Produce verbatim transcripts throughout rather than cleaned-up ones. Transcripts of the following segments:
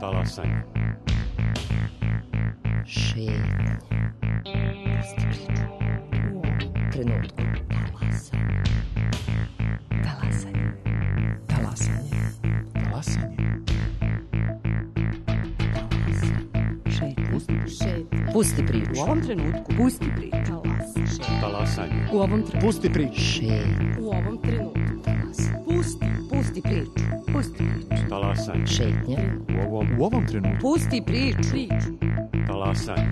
Talasanje. Šetnja. Pusti priču. U ovom trenutku. Talasanje. Talasanje. Talasanje. Talasanje. Šetnja. Pusti priču. Pusti priču. U ovom trenutku. Pusti priču. Talasanje. U ovom trenutku. Pusti priču. Šetnja. U ovom trenutku. Talasanje. Pusti. Pusti priču. Pusti priču. Talasanje. Šetnja. U ovom U ovom trenutku. Pusti priču. Priču. talasanje.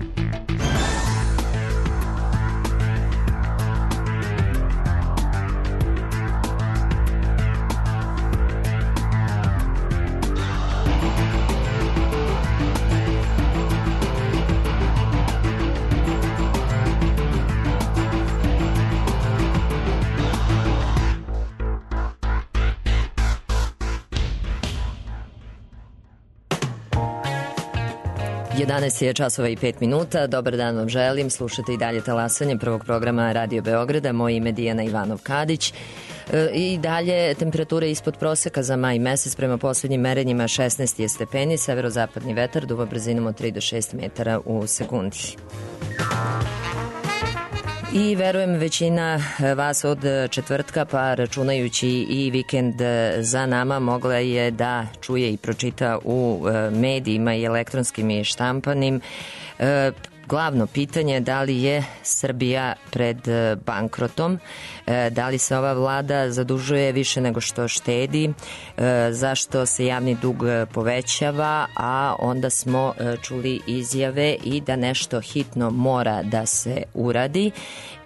jedanaest je časova i pet minuta. Dobar dan vam želim. Slušate i dalje talasanje prvog programa Radio Beograda. Moje ime je Dijana Ivanov-Kadić. E, I dalje temperature ispod proseka za maj mesec. Prema poslednjim merenjima šesnaest je stepeni. Severozapadni vetar duva brzinom od tri do šest metara u sekundi. I verujem većina vas od četvrtka, pa računajući i vikend za nama, mogla je da čuje i pročita u medijima i elektronskim i štampanim glavno pitanje da li je Srbija pred bankrotom, da li se ova vlada zadužuje više nego što štedi, zašto se javni dug povećava, a onda smo čuli izjave i da nešto hitno mora da se uradi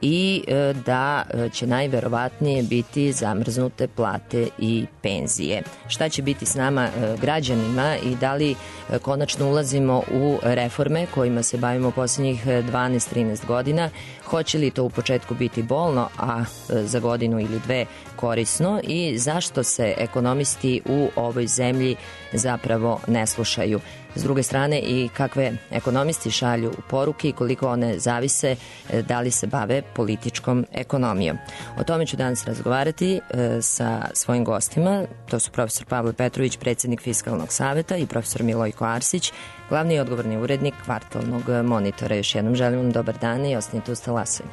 i da će najverovatnije biti zamrznute plate i penzije. Šta će biti s nama građanima i da li konačno ulazimo u reforme kojima se bavimo posljednjih dvanaest trinaest godina, hoće li to u početku biti bolno, a za godinu ili dve korisno i zašto se ekonomisti u ovoj zemlji zapravo ne slušaju. S druge strane i kakve ekonomisti šalju poruke i koliko one zavise da li se bave političkom ekonomijom. O tome ću danas razgovarati e, sa svojim gostima. To su profesor Pavle Petrović, predsjednik Fiskalnog saveta, i profesor Milojko Arsić, glavni i odgovorni urednik Kvartalnog monitora. Još jednom želim vam dobar dan i ostanite uz talasanje.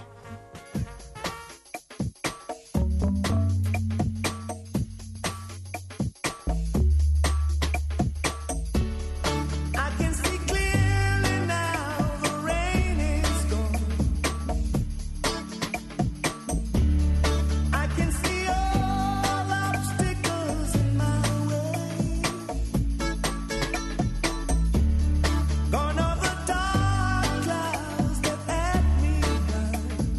Gone over dark clouds that had me blind.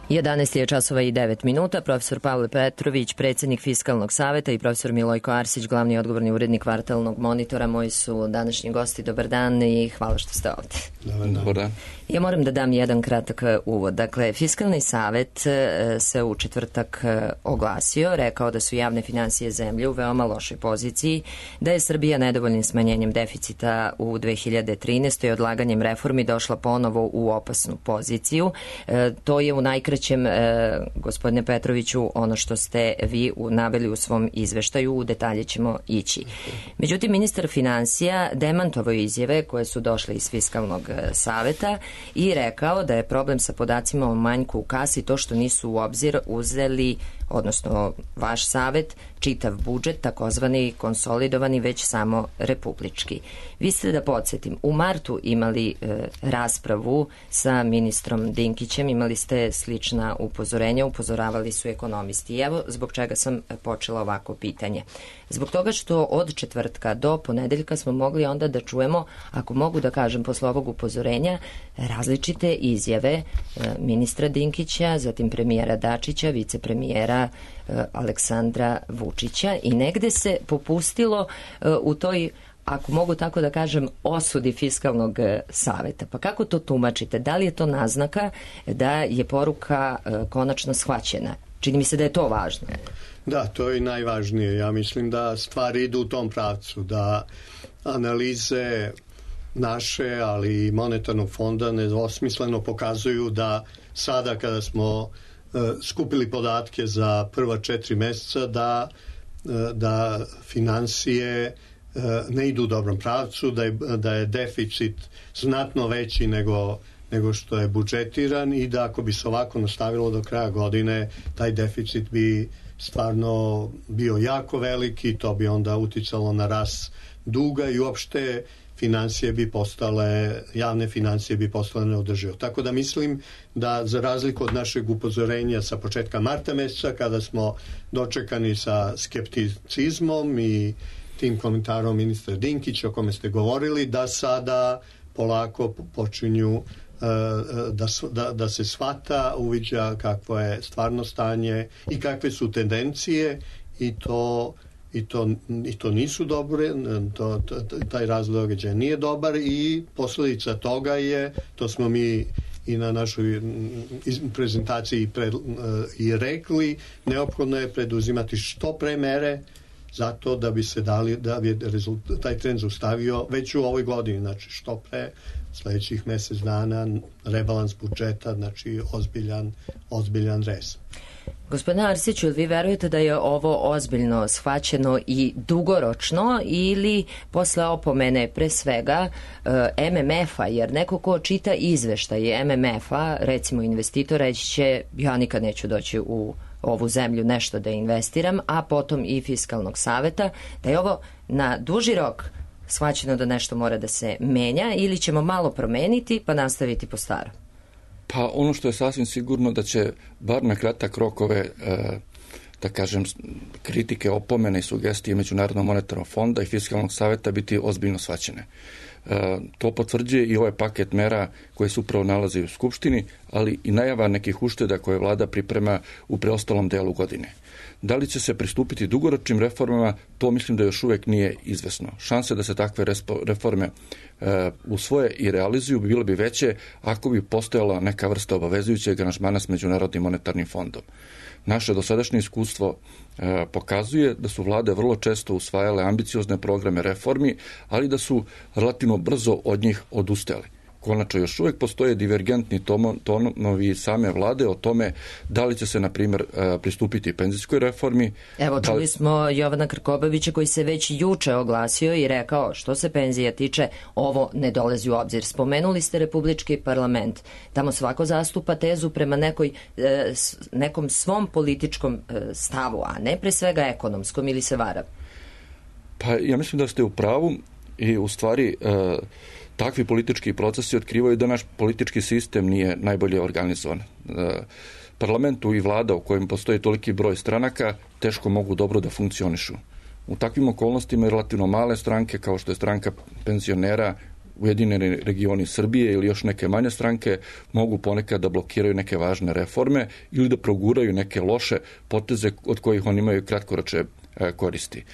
jedanaest je časova i devet minuta. Profesor Pavle Petrović, predsjednik Fiskalnog saveta, i profesor Milojko Arsić, glavni odgovorni urednik Kvartalnog monitora, moji su današnji gosti. Dobar dan i hvala što ste ovdje. Dobar dan. Dobar dan. Ja moram da dam jedan kratak uvod. Dakle, Fiskalni savet se u četvrtak oglasio, rekao da su javne financije zemlje u veoma lošoj poziciji, da je Srbija nedovoljnim smanjenjem deficita u dve hiljade trinaestoj i odlaganjem reformi došla ponovo u opasnu poziciju. E, to je u najkraćem, e, gospodine Petroviću, ono što ste vi naveli u svom izveštaju, u detalje ćemo ići. Međutim, ministar financija demantovao izjave koje su došle iz Fiskalnog saveta i rekao da je problem sa podacima o manjku u kasi to što nisu u obzir uzeli, odnosno vaš savet, čitav budžet, takozvani konsolidovani, već samo republički. Vi ste, da podsjetim, u martu imali e, raspravu sa ministrom Dinkićem, imali ste slična upozorenja, upozoravali su ekonomisti. I evo zbog čega sam počela ovako pitanje. Zbog toga što od četvrtka do ponedeljka smo mogli onda da čujemo, ako mogu da kažem posle ovog upozorenja, različite izjave e, ministra Dinkića, zatim premijera Dačića, vicepremijera e, Aleksandra Vučića, i negde se popustilo e, u toj, ako mogu tako da kažem, osudi Fiskalnog saveta. Pa kako to tumačite? Da li je to naznaka da je poruka e, konačno shvaćena? Čini mi se da je to važno. Da, to je najvažnije. Ja mislim da stvari idu u tom pravcu, da analize naše, ali i monetarnog fonda nedvosmisleno pokazuju da sada kada smo uh, skupili podatke za prva četiri meseca, da, uh, da finansije uh, ne idu u dobrom pravcu, da je, da je deficit znatno veći nego nego što je budžetiran, i da ako bi se ovako nastavilo do kraja godine, taj deficit bi stvarno bio jako veliki, to bi onda uticalo na rast duga i uopšte financije bi postale, javne financije bi postale neodržive. Tako da mislim da, za razliku od našeg upozorenja sa početka marta meseca, kada smo dočekani sa skepticizmom i tim komentarom ministra Dinkića o kome ste govorili, da sada polako počinju Da, da, da se shvata, uviđa kakvo je stvarno stanje i kakve su tendencije, i to, i to, i to nisu dobre, to, to, taj razvoj događaja nije dobar, i posljedica toga je, to smo mi i na našoj prezentaciji pred, i rekli, neophodno je preduzimati što pre mere zato da bi se dali, da bi rezultat, taj trend zaustavio već u ovoj godini, znači što pre, sljedećih mjesec dana, rebalans budžeta, znači ozbiljan, ozbiljan rez. Gospodine Arsiću, vi verujete da je ovo ozbiljno shvaćeno i dugoročno, ili posle opomene pre svega M M F-a, jer neko ko čita izveštaj M M F-a, recimo investitor, reći će ja nikad neću doći u ovu zemlju nešto da investiram, a potom i Fiskalnog saveta, da je ovo na duži rok shvaćeno da nešto mora da se menja, ili ćemo malo promeniti pa nastaviti po starom? Pa ono što je sasvim sigurno da će bar na kratak rok ove, e, da kažem, kritike, opomene i sugestije Međunarodnog monetarnog fonda i Fiskalnog saveta biti ozbiljno shvaćene. E, to potvrđuje i ovaj paket mera koje se upravo nalazi u Skupštini, ali i najava nekih ušteda koje vlada priprema u preostalom delu godine. Da li će se pristupiti dugoročnim reformama, to mislim da još uvijek nije izvesno. Šanse da se takve reforme e, usvoje i realizuju bi bile bi veće ako bi postojala neka vrsta obavezujućeg aranžmana s Međunarodnim monetarnim fondom. Naše dosadašnje iskustvo e, pokazuje da su vlade vrlo često usvajale ambiciozne programe reformi, ali da su relativno brzo od njih odustali. Konačno, još uvijek postoje divergentni tonovi same vlade o tome da li će se, na primjer, pristupiti penzijskoj reformi. Evo, čuli li... smo Jovana Krkobabića koji se već juče oglasio i rekao što se penzija tiče, ovo ne dolazi u obzir. Spomenuli ste Republički parlament. Tamo svako zastupa tezu prema nekoj, nekom svom političkom stavu, a ne pre svega ekonomskom, ili se varam? Pa ja mislim da ste u pravu i u stvari... Takvi politički procesi otkrivaju da naš politički sistem nije najbolje organizovan. Parlamentu i vlada u kojem postoji toliki broj stranaka teško mogu dobro da funkcionišu. U takvim okolnostima relativno male stranke, kao što je stranka penzionera, Ujedinjeni regioni Srbije ili još neke manje stranke mogu ponekad da blokiraju neke važne reforme ili da proguraju neke loše poteze od kojih oni imaju kratkoročne koristi.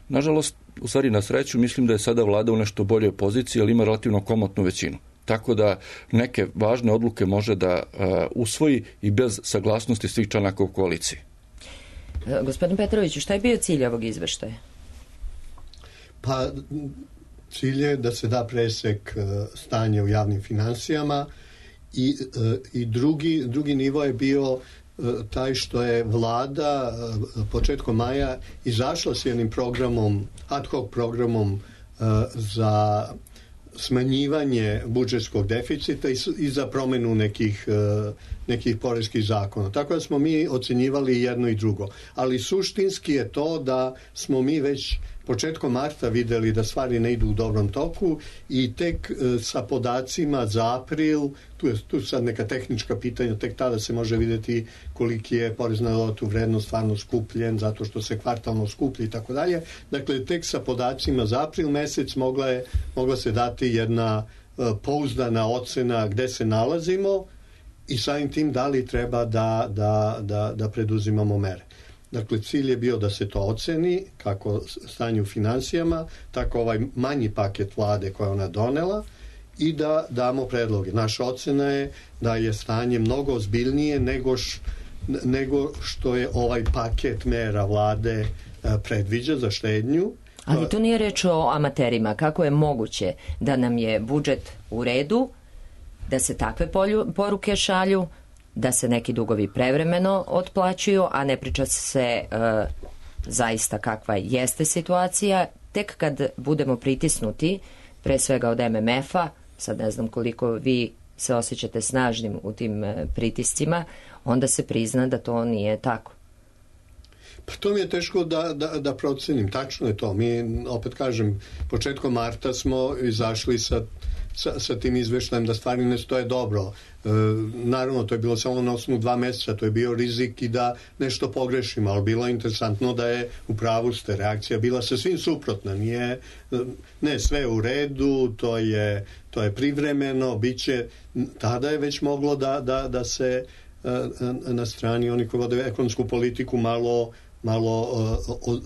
Nažalost, u stvari na sreću, mislim da je sada vlada u nešto boljoj poziciji, ali ima relativno komotnu većinu. Tako da neke važne odluke može da uh, usvoji i bez saglasnosti svih članaka u koaliciji. Gospodin Petroviću, šta je bio cilj ovog izveštaja? Pa cilj je da se da presek stanja u javnim finansijama i, i drugi, drugi nivo je bio taj što je vlada početkom maja izašla s jednim programom, ad hoc programom za smanjivanje budžetskog deficita i, i za promenu nekih, nekih poreskih zakona. Tako da smo mi ocenjivali jedno i drugo. Ali suštinski je to da smo mi već početkom marta videli da stvari ne idu u dobrom toku i tek e, sa podacima za april, tu je tu sad neka tehnička pitanja, tek tada se može vidjeti koliki je porez na dodatu vrednost stvarno skupljen, zato što se kvartalno skuplji i tako dalje. Dakle, tek sa podacima za april mesec mogla, je, mogla se dati jedna e, pouzdana ocena gde se nalazimo i samim tim da li treba da, da, da, da preduzimamo mere. Dakle, cilj je bio da se to oceni, kako stanje u finansijama, tako ovaj manji paket vlade koje ona donela i da damo predloge. Naša ocena je da je stanje mnogo ozbiljnije nego, š, nego što je ovaj paket mera vlade predviđa za štednju. Ali tu nije reč o amaterima. Kako je moguće da nam je budžet u redu, da se takve poruke šalju, da se neki dugovi prevremeno otplaćuju, a ne priča se e, zaista kakva jeste situacija. Tek kad budemo pritisnuti, pre svega od M M F-a, sad ne znam koliko vi se osjećate snažnim u tim e, pritiscima, onda se prizna da to nije tako. Pa to mi je teško da, da, da procenim. Tačno je to. Mi, opet kažem, početkom marta smo izašli sa Sa, sa tim izveštajem da stvari ne stoje dobro. E, naravno, to je bilo samo na osnovu dva meseca, to je bio rizik i da nešto pogrešimo, ali bilo je interesantno da je u pravu ste, reakcija bila sasvim suprotna. Nije, ne, sve u redu, to je, to je privremeno, bit će, tada je već moglo da, da, da se na strani oni koji vode ekonomsku politiku malo malo uh,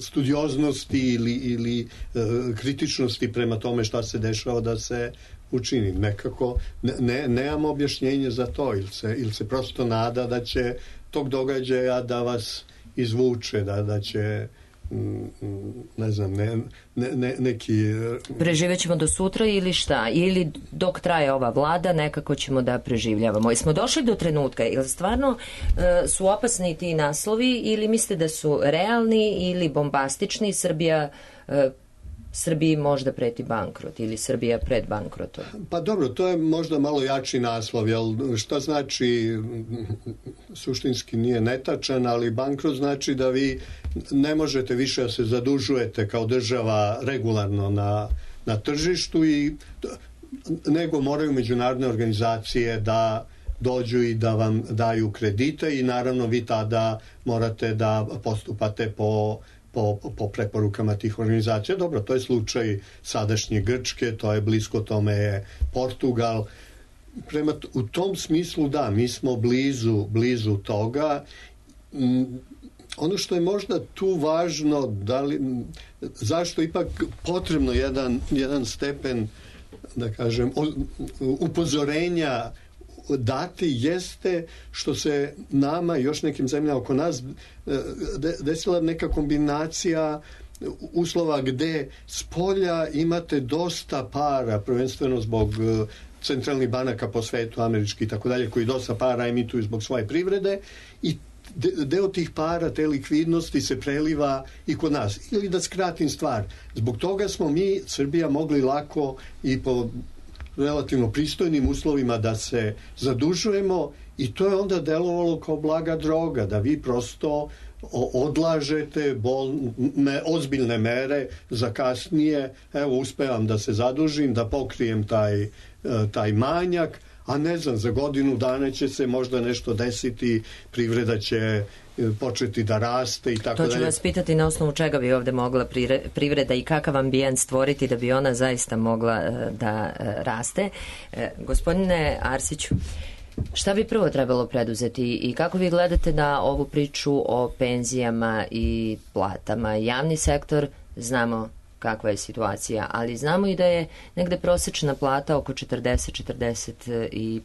studioznosti ili, ili uh, kritičnosti prema tome šta se dešava da se učini. Nekako ne, ne, nemamo objašnjenje za to ili se, ili se prosto nada da će tog događaja da vas izvuče, da, da će ne znam, ne, ne, neki... Preživjet ćemo do sutra ili šta? Ili dok traje ova vlada nekako ćemo da preživljavamo. I smo došli do trenutka, ili stvarno e, su opasni ti naslovi ili mislite da su realni ili bombastični? Srbija e, Srbiji možda preti bankrot ili Srbija pred bankrotom? Pa dobro, to je možda malo jači naslov, jel šta znači, suštinski nije netačan, ali bankrot znači da vi ne možete više da se zadužujete kao država regularno na, na tržištu i nego moraju međunarodne organizacije da dođu i da vam daju kredite i naravno vi tada morate da postupate po Po, po preporukama tih organizacija. Dobro, to je slučaj sadašnje Grčke, to je blisko tome je Portugal. Prema u tom smislu da, mi smo blizu, blizu toga. Ono što je možda tu važno, da li, zašto ipak potrebno jedan, jedan stepen, da kažem, upozorenja dati jeste što se nama i još nekim zemljama oko nas desila neka kombinacija uslova gde s polja imate dosta para, prvenstveno zbog centralnih banaka po svetu, američki i tako dalje, koji dosta para emituju zbog svoje privrede i deo tih para, te likvidnosti se preliva i kod nas. Ili da skratim stvar, zbog toga smo mi, Srbija, mogli lako i po relativno pristojnim uslovima da se zadužujemo i to je onda delovalo kao blaga droga, da vi prosto odlažete bol, me, ozbiljne mere za kasnije, evo uspevam da se zadužim, da pokrijem taj, taj manjak, a ne znam, za godinu dana će se možda nešto desiti, privreda će početi da raste i tako dalje. To ću vas pitati na osnovu čega bi ovde mogla privreda i kakav ambijent stvoriti da bi ona zaista mogla da raste. Gospodine Arsiću, šta bi prvo trebalo preduzeti i kako vi gledate na ovu priču o penzijama i platama? Javni sektor, znamo kakva je situacija, ali znamo i da je negde prosečna plata oko četrdeset do četrdeset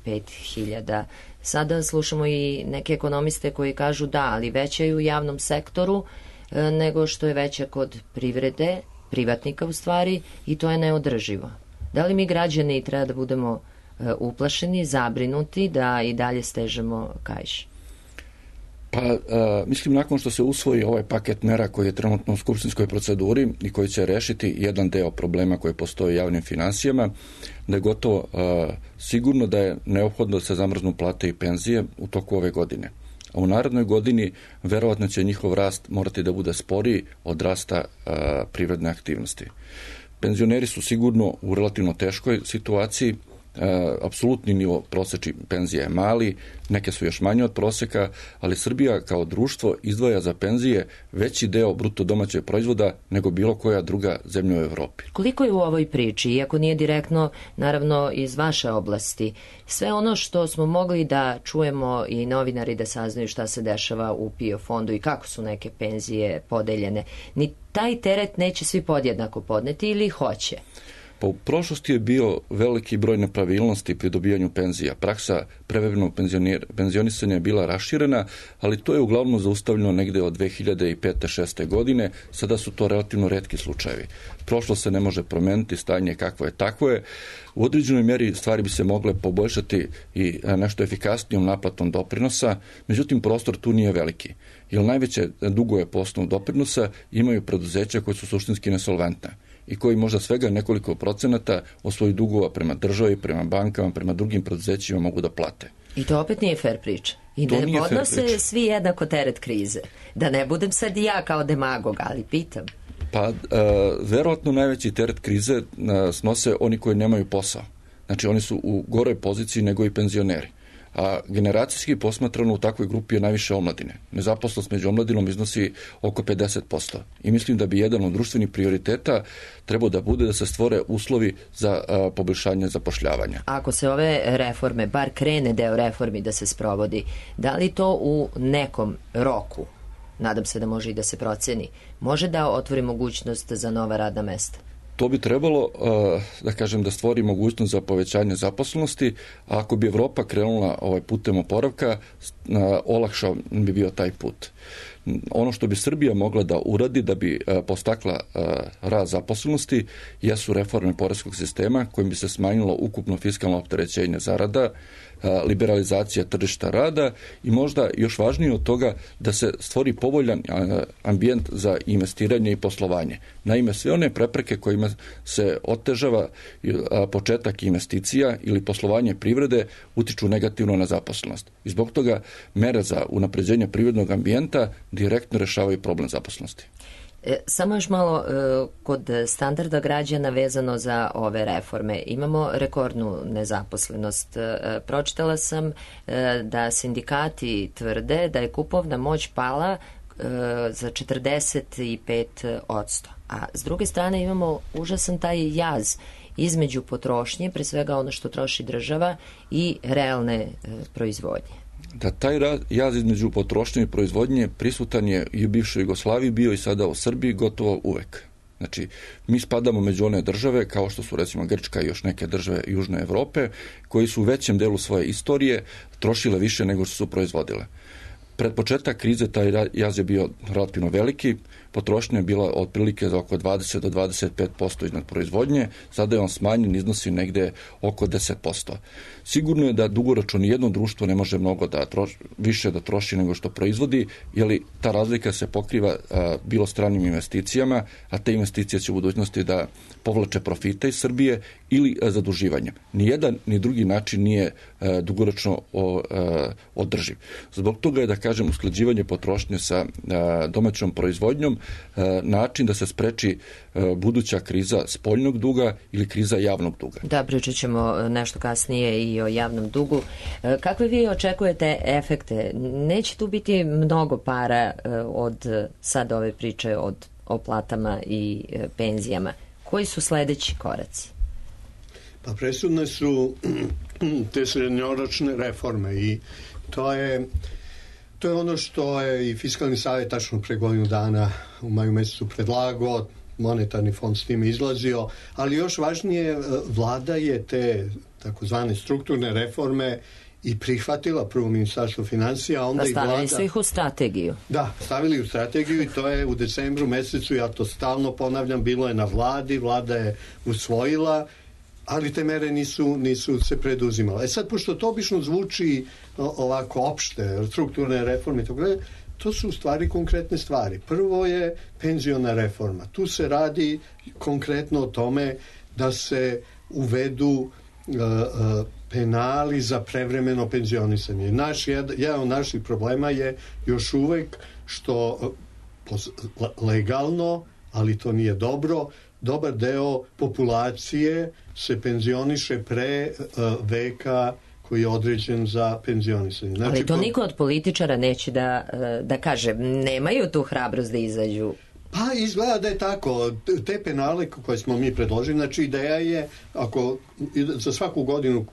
pet hiljada. Sada slušamo i neke ekonomiste koji kažu da, ali veća je u javnom sektoru nego što je veća kod privrede, privatnika u stvari, i to je neodrživo. Da li mi građani treba da budemo uplašeni, zabrinuti da i dalje stežemo kaiš? Pa, a, mislim, nakon što se usvoji ovaj paket mera koji je trenutno u skupštinskoj proceduri i koji će rešiti jedan deo problema koji postoje u javnim finansijama, da je gotovo a, sigurno da je neophodno da se zamrznu plate i penzije u toku ove godine. A u narednoj godini verovatno će njihov rast morati da bude sporiji od rasta a, privredne aktivnosti. Penzioneri su sigurno u relativno teškoj situaciji. E, apsolutni nivo prosečnih penzija je mali, neke su još manje od proseka, ali Srbija kao društvo izdvaja za penzije veći deo bruto domaćeg proizvoda nego bilo koja druga zemlja u Evropi. Koliko je u ovoj priči, iako nije direktno, naravno, iz vaše oblasti, sve ono što smo mogli da čujemo i novinari da saznaju šta se dešava u PIO fondu i kako su neke penzije podeljene, ni taj teret neće svi podjednako podneti ili hoće? Pa u prošlosti je bio veliki broj nepravilnosti pri dobijanju penzija. Praksa prevremenog penzionisanja je bila raširena, ali to je uglavnom zaustavljeno negde od dve hiljade pete do šeste godine. Sada su to relativno retki slučajevi. Prošlo se ne može promeniti, stanje kakvo je takvo je. U određenoj mjeri stvari bi se mogle poboljšati i nešto efikasnijom naplatom doprinosa, međutim prostor tu nije veliki. Jer najveće dugove po osnovu doprinosa imaju preduzeća koje su suštinski nesolventne i koji možda svega nekoliko procenata od svojih dugova prema državi, prema bankama, prema drugim preduzećima mogu da plate. I to opet nije fair priča. I da ne podnose svi jednako teret krize. Da ne budem sad i ja kao demagog, ali pitam. Pa, e, verovatno najveći teret krize e, snose oni koji nemaju posao. Znači, oni su u goroj poziciji nego i penzioneri. A generacijski posmatrano u takvoj grupi je najviše omladine. Nezaposlenost među omladinom iznosi oko pedeset posto. I mislim da bi jedan od društvenih prioriteta trebao da bude da se stvore uslovi za a, poboljšanje zapošljavanja. Ako se ove reforme, bar krene deo reformi da se sprovodi, da li to u nekom roku, nadam se da može i da se proceni, može da otvori mogućnost za nova radna mesta? To bi trebalo, da kažem, da stvori mogućnost za povećanje zaposlenosti, a ako bi Evropa krenula ovaj putem oporavka, olakšao bi bio taj put. Ono što bi Srbija mogla da uradi da bi postakla rast zaposlenosti jesu reforme poreskog sistema kojim bi se smanjilo ukupno fiskalno opterećenje zarada, liberalizacija tržišta rada i možda još važnije od toga da se stvori povoljan ambijent za investiranje i poslovanje. Naime, sve one prepreke kojima se otežava početak investicija ili poslovanje privrede utiču negativno na zaposlenost. I zbog toga mere za unapređenje privrednog ambijenta direktno rešavaju problem zaposlenosti. E, samo još malo e, kod standarda građana vezano za ove reforme. Imamo rekordnu nezaposlenost. E, pročitala sam e, da sindikati tvrde da je kupovna moć pala e, za četrdeset pet posto. A s druge strane imamo užasan taj jaz između potrošnje, pre svega ono što troši država, i realne e, proizvodnje. Da taj jaz između potrošnje i proizvodnje prisutan je i u bivšoj Jugoslaviji, bio i sada u Srbiji gotovo uvek. Znači, mi spadamo među one države, kao što su recimo Grčka i još neke države Južne Evrope, koji su u većem delu svoje istorije trošile više nego što su proizvodile. Pred početak krize taj jaz je bio relativno veliki, potrošnja je bila otprilike za oko dvadeset do dvadeset pet posto iznad proizvodnje, sada je on smanjen, iznosi negde oko deset posto. Sigurno je da dugoročno nijedno društvo ne može mnogo da troši, više da troši nego što proizvodi, jer ta razlika se pokriva a, bilo stranim investicijama, a te investicije će u budućnosti da povlače profite iz Srbije ili a, zaduživanjem. Nijedan ni drugi način nije a, dugoročno o, a, održiv. Zbog toga je, da kažem, usklađivanje potrošnje sa domaćom proizvodnjom, način da se spreči buduća kriza spoljnog duga ili kriza javnog duga. Da, pričat ćemo nešto kasnije i o javnom dugu. Kakve vi očekujete efekte? Neće tu biti mnogo para od sad ove priče od, o platama i penzijama. Koji su sledeći koraci? Pa presudne su te srednjoročne reforme i to je to je ono što je i Fiskalni savjet tačno pre godinu dana u maju mesecu predlagao, monetarni fond s time izlazio, ali još važnije, vlada je te takozvane strukturne reforme i prihvatila prvo ministarstvo financija, a onda i vlada... Stavili su ih u strategiju. Da, stavili u strategiju i to je u decembru mesecu, ja to stalno ponavljam, bilo je na vladi, vlada je usvojila, ali te mere nisu, nisu se preduzimale. E sad, pošto to obično zvuči ovako opšte, strukturne reforme i tako dalje, to su u stvari konkretne stvari. Prvo je penziona reforma. Tu se radi konkretno o tome da se uvedu uh, uh, penali za prevremeno penzionisanje. Naš, jedan od naših problema je još uvek što uh, legalno, ali to nije dobro, dobar deo populacije se penzioniše pre uh, veka koji je određen za penzionisanje. Znači, ali to niko od političara neće da, da kaže. Nemaju tu hrabrost da izađu. Pa izgleda da je tako. Te penale koje smo mi predložili, znači ideja je, ako za svaku godinu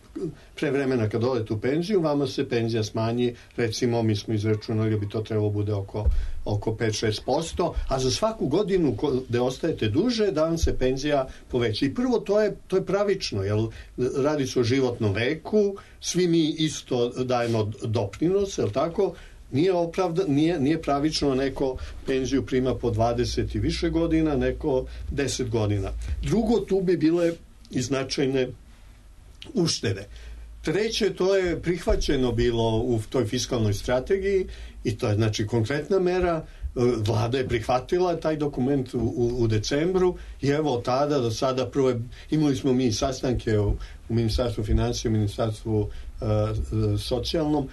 pre vremena kad odete u penziju, vama se penzija smanji, recimo mi smo izračunali da bi to trebalo bude oko, oko pet do šest posto, a za svaku godinu gde ostajete duže, da vam se penzija poveća. I prvo, to je, to je pravično, jer radi se o životnom veku, svi mi isto dajemo doprinos, jel tako? Nije, opravda, nije, nije pravično neko penziju prima po dvadeset i više godina, neko deset godina. Drugo, tu bi bile i značajne uštede. Treće, to je prihvaćeno bilo u toj fiskalnoj strategiji i to je znači konkretna mera. Vlada je prihvatila taj dokument u, u, u decembru i evo od tada do sada prvo je, imali smo mi sastanke u, u Ministarstvu financija, u Ministarstvu uh, socijalnom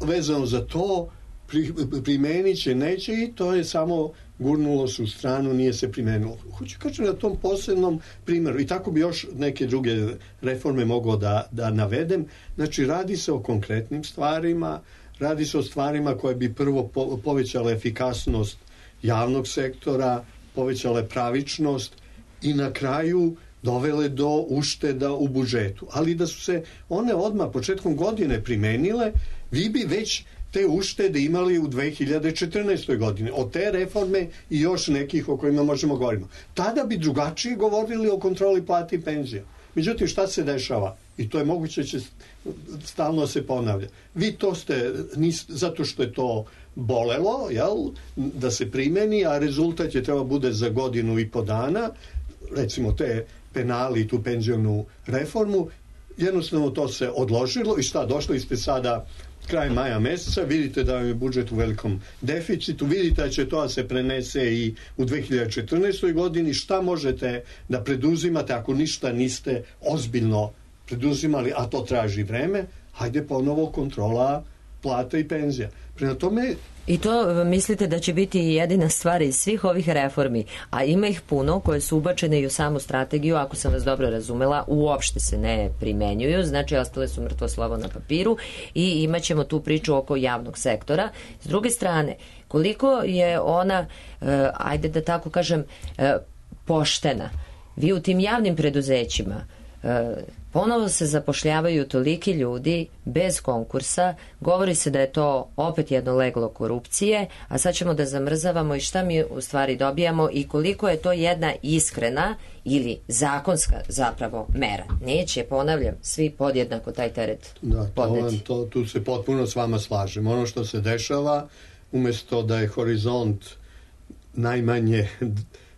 vezano za to, pri, primenit će, neće i to je samo gurnulo se u stranu, nije se primenilo. Hoću kažem na tom posebnom primjeru i tako bi još neke druge reforme mogao da, da navedem. Znači radi se o konkretnim stvarima, radi se o stvarima koje bi prvo po, povećale efikasnost javnog sektora, povećale pravičnost i na kraju dovele do ušteda u budžetu. Ali da su se one odmah početkom godine primenile, vi bi već te uštede imali u dve hiljade četrnaestoj godini. Od te reforme i još nekih o kojima možemo govoriti. Tada bi drugačije govorili o kontroli plati i penzija. Međutim, šta se dešava? I to je moguće će stalno se ponavlja. Vi to ste, nis, zato što je to bolelo, jel, da se primeni, a rezultat je treba bude za godinu i po dana, recimo te penali i tu penzionu reformu, jednostavno to se odložilo i šta, došli ste sada kraj maja meseca, vidite da je budžet u velikom deficitu, vidite da će to da se prenese i u dve hiljade četrnaestoj godini, šta možete da preduzimate ako ništa niste ozbiljno preduzimali, a to traži vreme, hajde ponovo kontrola plata i penzija. Prema tome... I to mislite da će biti jedina stvar iz svih ovih reformi, a ima ih puno koje su ubačene i u samu strategiju, ako sam vas dobro razumela, uopšte se ne primenjuju, znači ostale su mrtvo slovo na papiru i imat ćemo tu priču oko javnog sektora. S druge strane, koliko je ona, eh, ajde da tako kažem, eh, poštena. Vi u tim javnim preduzećima eh, ponovo se zapošljavaju toliki ljudi bez konkursa, govori se da je to opet jedno leglo korupcije, a sad ćemo da zamrzavamo i šta mi u stvari dobijamo i koliko je to jedna iskrena ili zakonska zapravo mera. Neće, ponavljam, svi podjednako taj teret da, podneti. To, to, tu se potpuno s vama slažem. Ono što se dešava, umjesto da je horizont najmanje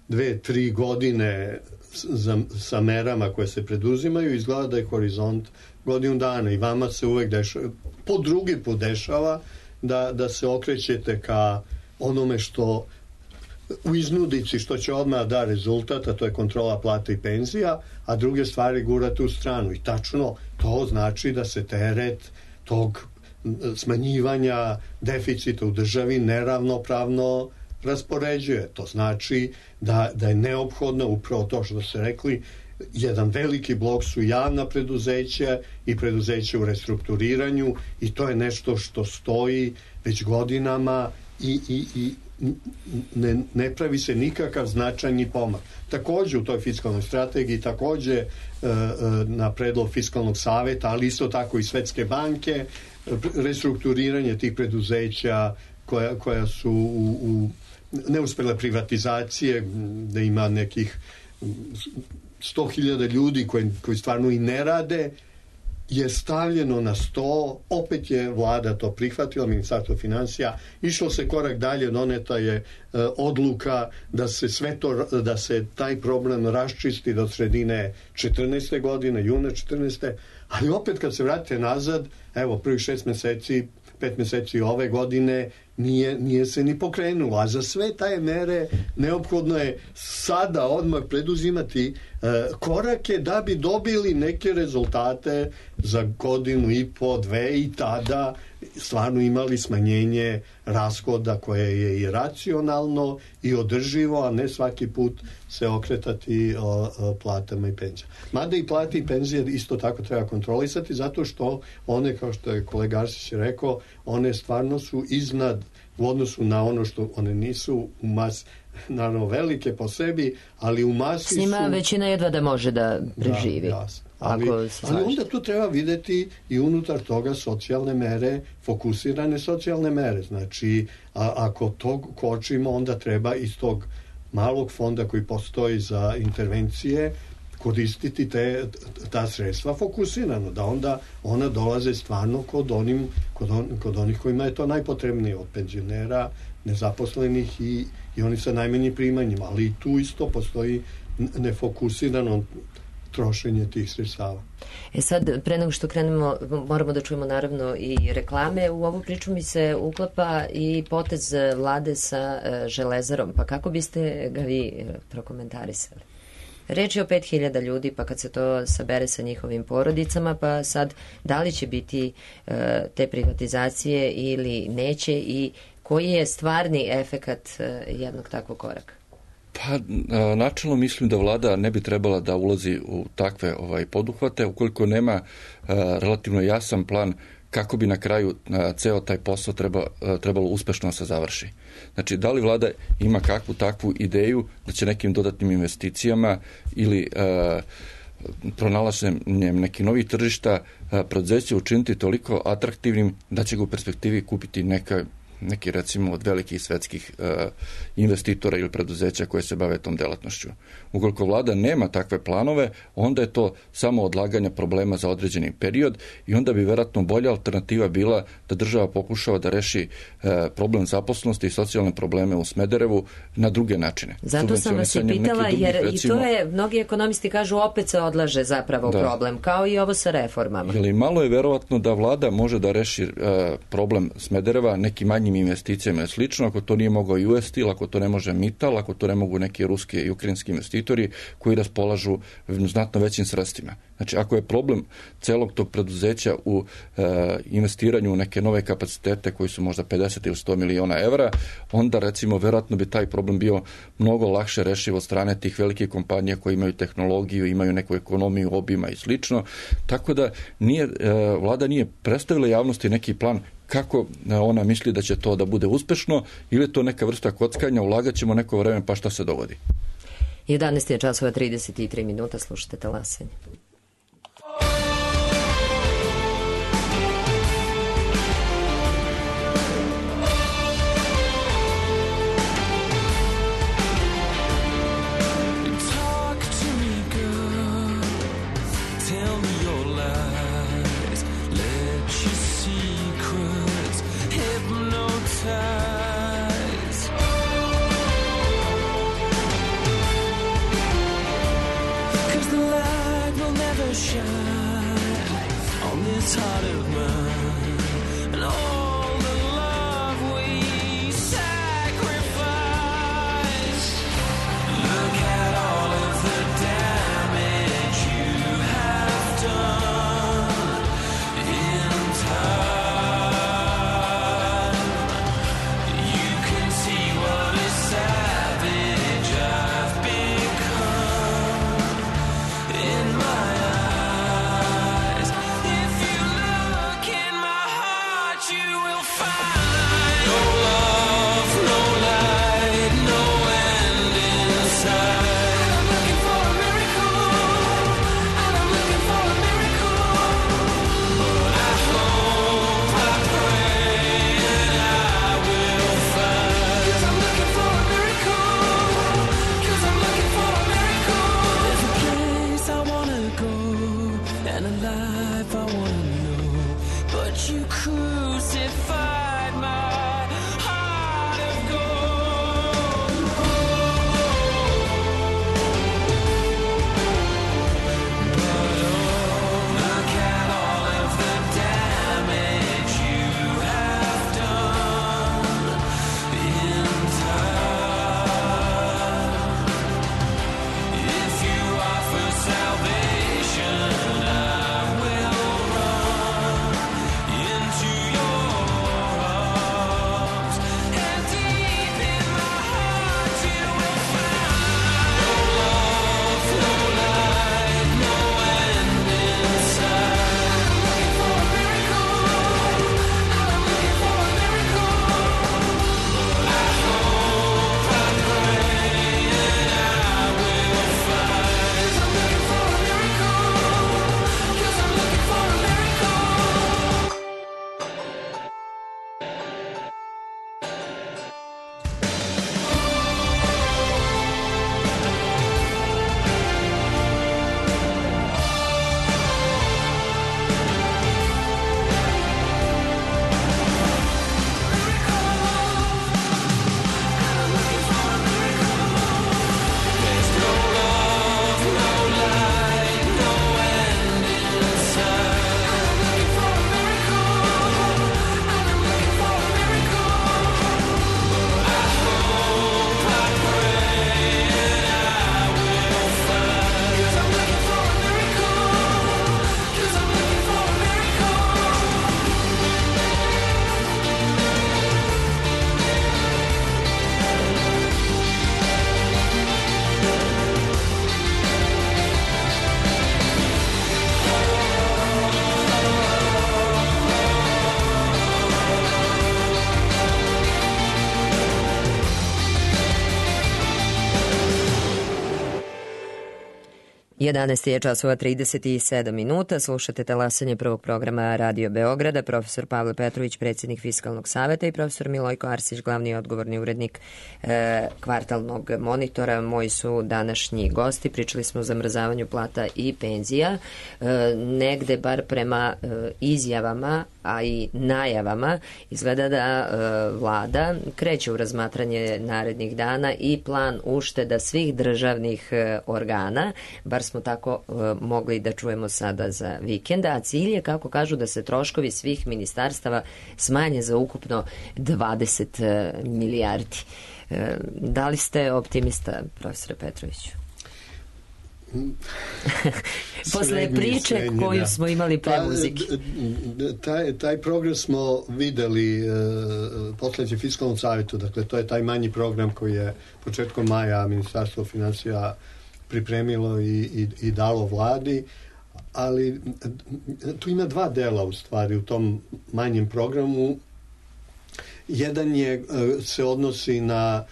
dve, tri godine Za, sa merama koje se preduzimaju, izgleda da je horizont godinu dana i vama se uvek dešava, po drugi put dešava da, da se okrećete ka onome što u iznudici što će odmah da rezultat, a to je kontrola plata i penzija, a druge stvari gurate u stranu i tačno to znači da se teret tog smanjivanja deficita u državi neravnopravno raspoređuje. To znači da, da je neophodno upravo to što ste rekli, jedan veliki blok su javna preduzeća i preduzeća u restrukturiranju i to je nešto što stoji već godinama i, i, i ne, ne pravi se nikakav značajni pomak. Takođe u toj fiskalnoj strategiji, takođe e, e, na predlog fiskalnog saveta, ali isto tako i Svetske banke, restrukturiranje tih preduzeća koja, koja su u, u neuspele privatizacije, da ima nekih sto hiljada ljudi koji, koji stvarno i ne rade, je stavljeno na sto, opet je vlada to prihvatila, Ministarstvo finansija, išlo se korak dalje, doneta je e, odluka da se sve to, da se taj problem raščisti do sredine četrnaeste godine, juna četrnaeste, ali opet kad se vratite nazad, evo prvih šest meseci, pet meseci ove godine nije, nije se ni pokrenulo, a za sve taje mere neophodno je sada odmah preduzimati e, korake da bi dobili neke rezultate za godinu i po, dve i tada stvarno imali smanjenje rashoda koje je i racionalno i održivo, a ne svaki put se okretati o, o platama i penzijama. Mada i plate i penzije isto tako treba kontrolisati zato što one, kao što je kolega Arsić rekao, one stvarno su iznad u odnosu na ono što one nisu u mas, naravno velike po sebi, ali u masi su... S njima većina jedva da može da preživi. Da, jasno. Ali, ali onda tu treba videti i unutar toga socijalne mere, fokusirane socijalne mere. Znači, a, ako to kočimo, onda treba iz tog malog fonda koji postoji za intervencije koristiti te, ta sredstva fokusirano, da onda ona dolaze stvarno kod, onim, kod, on, kod onih kojima je to najpotrebnije, od penzionera, nezaposlenih i, i oni sa najmanjim primanjima, ali tu isto postoji nefokusirano trošenje tih sredstava. E sad, pre nego što krenemo, moramo da čujemo naravno i reklame. U ovu priču mi se uklapa i potez vlade sa Železarom. Pa kako biste ga vi prokomentarisali? Reč je o pet hiljada ljudi, pa kad se to sabere sa njihovim porodicama, pa sad da li će biti e, te privatizacije ili neće i koji je stvarni efekat e, jednog takvog koraka? Pa, načelno mislim da vlada ne bi trebala da ulazi u takve ovaj poduhvate ukoliko nema a, relativno jasan plan kako bi na kraju a, ceo taj posao treba, a, trebalo uspešno se završi. Znači, da li vlada ima kakvu takvu ideju da će nekim dodatnim investicijama ili a, pronalaženjem nekih novih tržišta a, preduzeće učiniti toliko atraktivnim da će ga u perspektivi kupiti neka neki recimo od velikih svetskih uh, investitora ili preduzeća koje se bave tom delatnošću. Ukoliko vlada nema takve planove, onda je to samo odlaganje problema za određeni period i onda bi verovatno bolja alternativa bila da država pokušava da reši uh, problem zaposlenosti i socijalne probleme u Smederevu na druge načine. Zato sam vas i pitala, drugih, jer recimo, i to je, mnogi ekonomisti kažu, opet se odlaže zapravo da. problem, kao i ovo sa reformama. Jeli, malo je verovatno da vlada može da reši uh, problem Smedereva neki manji investicijama i slično, ako to nije mogao U S Steel, ako to ne može Mittal, ako to ne mogu neki ruski i ukrajinski investitori koji raspolažu znatno većim sredstvima. Znači, ako je problem celog tog preduzeća u e, investiranju u neke nove kapacitete koji su možda pedeset ili sto miliona evra, onda recimo verovatno bi taj problem bio mnogo lakše rešiv od strane tih velikih kompanija koji imaju tehnologiju, imaju neku ekonomiju obima i slično. Tako da nije, e, vlada nije predstavila javnosti neki plan kako ona misli da će to da bude uspešno ili je to neka vrsta kockanja, ulagat ćemo neko vreme pa šta se dogodi. jedanaest je časova trideset tri minuta, slušate Talasanje. Cause the light will never jedanaest je časova trideset sedam minuta, slušate talasanje prvog programa Radio Beograda, profesor Pavle Petrović, predsjednik Fiskalnog saveta i profesor Milojko Arsić, glavni odgovorni urednik e, kvartalnog monitora. Moji su današnji gosti, pričali smo o zamrzavanju plata i penzija, e, negde bar prema e, izjavama, a i najavama, izgleda da e, vlada kreće u razmatranje narednih dana i plan ušteda svih državnih e, organa, bar smo tako e, mogli da čujemo sada za vikenda, a cilj je, kako kažu, da se troškovi svih ministarstava smanje za ukupno dvadeset milijardi. E, da li ste optimista, profesore Petroviću? Posle srednji, priče srednji, koju da. smo imali pre muzike. Taj, taj program smo videli uh, poslednjem Fiskalnom savetu, dakle to je taj manji program koji je početkom maja Ministarstvo finansija pripremilo i, i, i dalo vladi, ali tu ima dva dela u stvari u tom manjem programu. Jedan je, se odnosi na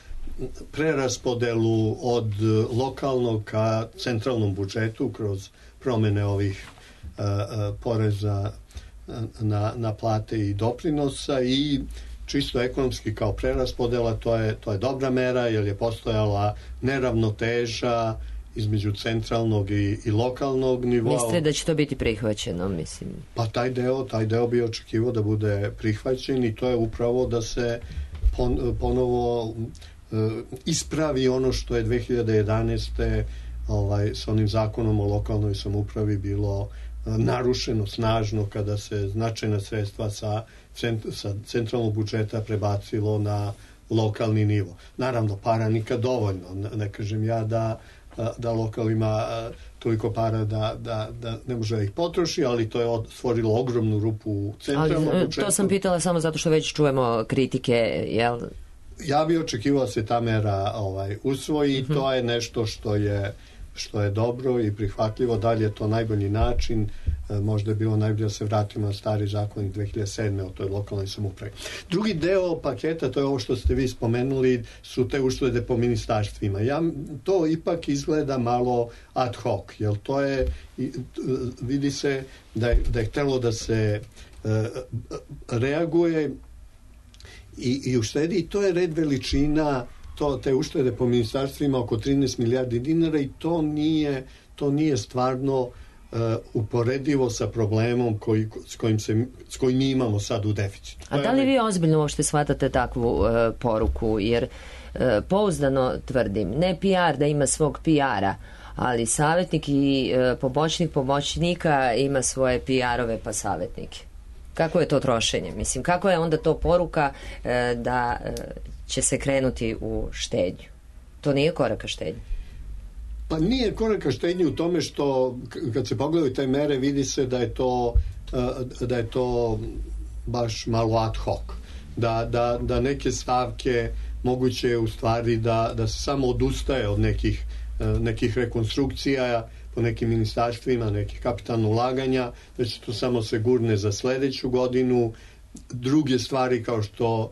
preraspodelu od lokalnog ka centralnom budžetu kroz promene ovih uh, uh, poreza na, na plate i doprinosa, i čisto ekonomski kao preraspodela to je, to je dobra mera, jer je postojala neravnoteža između centralnog i, i lokalnog nivoa. Mislite da će to biti prihvaćeno, mislim? Pa taj deo, taj deo bi očekivao da bude prihvaćen, i to je upravo da se pon, ponovo uh, ispravi ono što je dve hiljade jedanaeste. ovaj, sa onim zakonom o lokalnoj samoupravi bilo uh, narušeno snažno, kada se značajna sredstva sa, cent, sa centralnog budžeta prebacilo na lokalni nivo. Naravno, para nikad dovoljno. Ne, ne kažem ja da da lokal ima toliko para da, da, da ne može da ih potroši, ali to je stvorilo ogromnu rupu u centralnom budžetu. To sam pitala samo zato što već čujemo kritike, jel? Ja bih očekivao da se ta mera ovaj, usvoji, i uh-huh. to je nešto što je što je dobro i prihvatljivo. Dalje je to najbolji način. Možda je bilo najbolje da se vratimo na stari zakon dve hiljade sedme o toj lokalnoj samoupravi. Drugi deo paketa, to je ovo što ste vi spomenuli, su te uštede po ministarstvima. Ja, to ipak izgleda malo ad hoc, jer to je, vidi se da je, da je htelo da se uh, reaguje i, i uštedi, i to je red veličina, to, te uštede po ministarstvima oko trinaest milijardi dinara, i to nije, to nije stvarno uh, uporedivo sa problemom koji, s, kojim se, s kojim mi imamo sad u deficitu. A da li vi ozbiljno uopšte shvatate takvu uh, poruku? Jer uh, pouzdano tvrdim, ne P R da ima svog P R-a, ali savjetnik i uh, pomoćnik pomoćnika ima svoje P R-ove pa savjetnike. Kako je to trošenje? Mislim, kako je onda to poruka uh, da uh, će se krenuti u štednju? To nije korak ka štednju. Pa nije korak ka štednju u tome što kad se pogledaju te mere vidi se da je to da je to baš malo ad hoc. Da, da, da neke stavke moguće u stvari da, da se samo odustaje od nekih, nekih rekonstrukcija po nekim ministarstvima, nekih kapitalnih ulaganja, da će to samo se gurne za sledeću godinu. Druge stvari kao što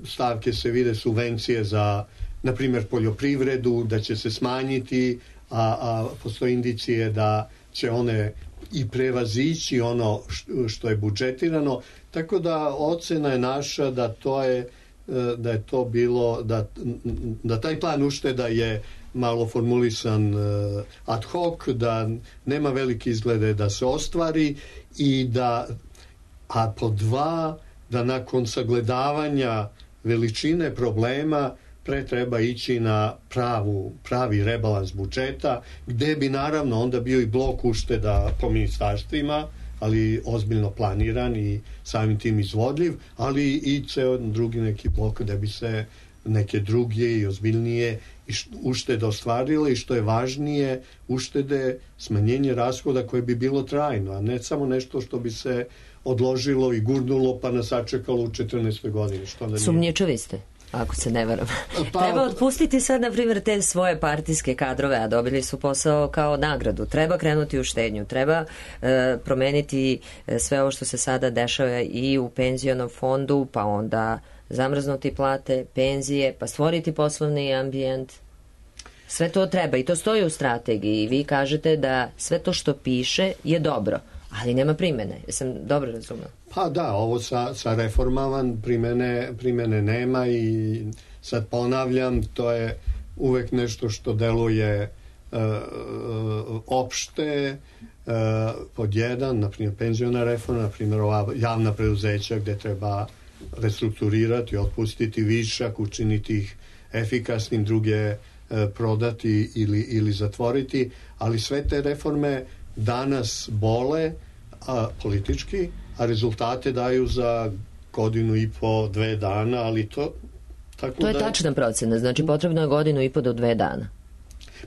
stavke se vide subvencije za, na primjer, poljoprivredu, da će se smanjiti, a, a postoje indicije da će one i prevazići ono što je budžetirano, tako da ocena je naša da to je da je to bilo da, da taj plan ušteda je malo formulisan ad hoc, da nema velike izglede da se ostvari, i da, a po dva, da nakon sagledavanja veličine problema pre treba ići na pravu, pravi rebalans budžeta, gde bi naravno onda bio i blok ušteda po ministarstvima, ali ozbiljno planiran i samim tim izvodljiv, ali i ceo drugi neki blok gde bi se neke druge i ozbiljnije uštede ostvarile, i što je važnije, uštede, smanjenje rashoda koje bi bilo trajno, a ne samo nešto što bi se odložilo i gurnulo pa nas sačekalo u četrnaestoj godini. Što da nije. Sumnjičavi ste, ako se ne varam. Pa, treba otpustiti sad, na primjer, te svoje partijske kadrove, a dobili su posao kao nagradu. Treba krenuti u štednju, treba e, promeniti sve ovo što se sada dešava i u penzionom fondu, pa onda zamrznuti plate, penzije, pa stvoriti poslovni ambijent. Sve to treba i to stoji u strategiji. Vi kažete da sve to što piše je dobro, ali nema primene. Jesam dobro razumela? Pa da, ovo sa, sa reformama primene, primene nema, i sad ponavljam, to je uvek nešto što deluje uh, opšte, uh, pod jedan, na primjer penziona reforma, na primjer ova javna preduzeća gde treba restrukturirati, otpustiti višak, učiniti ih efikasnim, druge uh, prodati ili, ili zatvoriti, ali sve te reforme danas bole a, politički, a rezultate daju za godinu i po, dve dana, ali to tako to je da... tačna procena, znači potrebno je godinu i po do dve dana.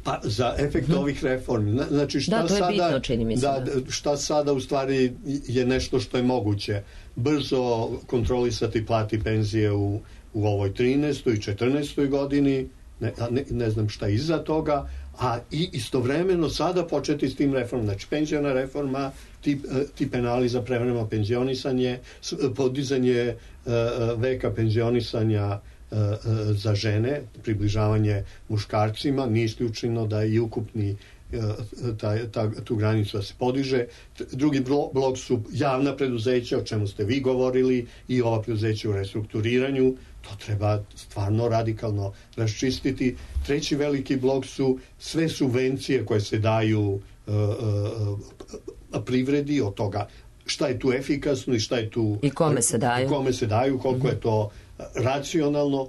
Pa za efekt hmm. ovih reformi. Znači šta da, to je sada, bitno, čini mi se. Da, da. Šta sada u stvari je nešto što je moguće. Brzo kontrolisati plati penzije u, u ovoj trinaestoj i četrnaestoj godini, ne, ne, ne znam šta iza toga, a i istovremeno sada početi s tim reformom. Znači penziona reforma, ti, ti penali za prevremeno penzionisanje, podizanje uh, veka penzionisanja uh, za žene, približavanje muškarcima, nije isključeno da i ukupni ta, ta, tu granicu da se podiže. Drugi blok su javna preduzeća, o čemu ste vi govorili, i ova preduzeća u restrukturiranju. To treba stvarno radikalno raščistiti. Treći veliki blok su sve subvencije koje se daju uh, uh, privredi, od toga šta je tu efikasno i šta je tu... I kome se daju. Kome se daju, koliko mm-hmm. je to racionalno.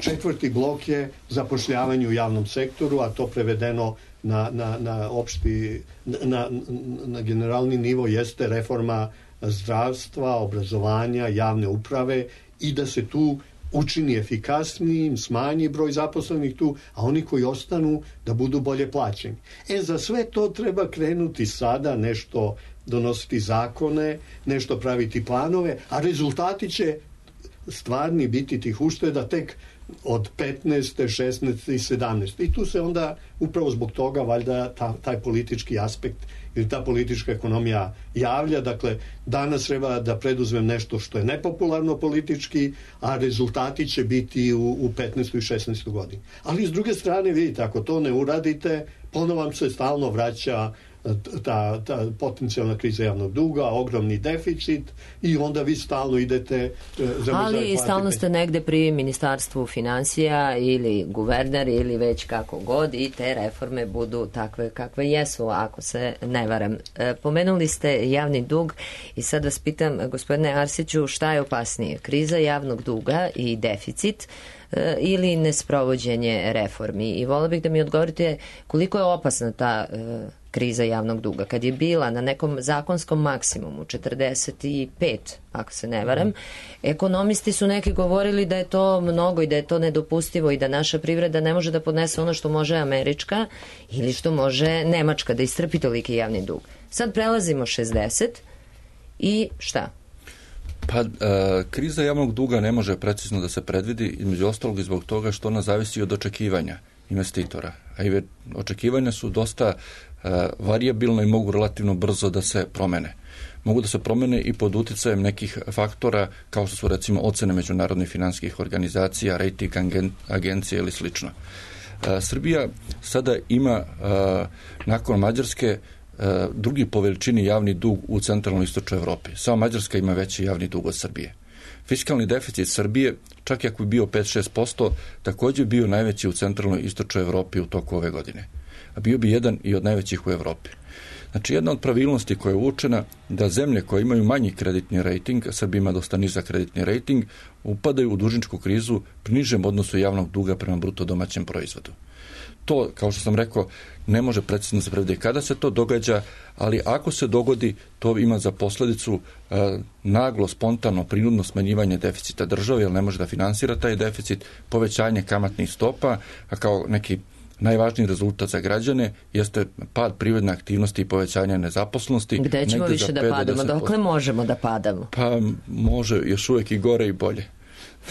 Četvrti blok je zapošljavanje u javnom sektoru, a to prevedeno na, na, na opšti, na, na generalni nivo jeste reforma zdravstva, obrazovanja, javne uprave, i da se tu učini efikasnijim, smanji broj zaposlenih tu, a oni koji ostanu da budu bolje plaćeni. E, za sve to treba krenuti sada, nešto donositi zakone, nešto praviti planove, a rezultati će stvarni biti tih ušteda tek od petnaeste, šesnaeste i sedamnaeste. I tu se onda upravo zbog toga valjda ta, taj politički aspekt ili ta politička ekonomija javlja. Dakle, danas treba da preduzmem nešto što je nepopularno politički, a rezultati će biti u, u petnaestoj i šesnaestoj godini. Ali s druge strane, vidite, ako to ne uradite, ponovo vam se stalno vraća ta, ta potencijalna kriza javnog duga, ogromni deficit i onda vi stalno idete za ali stalno ste negde pri ministarstvu finansija ili guverner ili već kako god i te reforme budu takve kakve jesu, ako se ne varam. E, pomenuli ste javni dug i sad vas pitam, gospodine Arsiću, šta je opasnije, kriza javnog duga i deficit e, ili nesprovođenje reformi? I volila bih da mi odgovorite koliko je opasna ta e, kriza javnog duga. Kad je bila na nekom zakonskom maksimumu četrdeset pet, ako se ne varam, ekonomisti su neki govorili da je to mnogo i da je to nedopustivo i da naša privreda ne može da podnese ono što može američka ili što može nemačka, da istrpi toliki javni dug. Sad prelazimo šezdeset i šta? Pa, e, kriza javnog duga ne može precizno da se predvidi, između ostalog i zbog toga što ona zavisi od očekivanja investitora. A i očekivanja su dosta e, varijabilna i mogu relativno brzo da se promene. Mogu da se promene i pod uticajem nekih faktora kao što su recimo ocene međunarodnih finansijskih organizacija, rating agencije ili slično. E, Srbija sada ima e, nakon Mađarske e, drugi po veličini javni dug u centralnoj istočnoj Evropi. Samo Mađarska ima veći javni dug od Srbije. Fiskalni deficit Srbije, čak i ako je bio pet do šest posto, također bio najveći u centralnoj istočnoj Evropi u toku ove godine. A bio bi jedan i od najvećih u Evropi. Znači, jedna od pravilnosti koja je uočena da zemlje koje imaju manji kreditni rating, a Srbija ima dosta nizak kreditni rating, upadaju u dužničku krizu pri nižem odnosu javnog duga prema bruto domaćem proizvodu. To, kao što sam rekao, ne može precizno se predvidjeti kada se to događa, ali ako se dogodi, to ima za posljedicu e, naglo, spontano, prinudno smanjivanje deficita države, jer ne može da finansira taj deficit, povećanje kamatnih stopa, a kao neki najvažniji rezultat za građane jeste pad privredne aktivnosti i povećanje nezaposlenosti. Gde ćemo više da padamo? Dokle možemo da padamo? Pa može još uvijek i gore i bolje.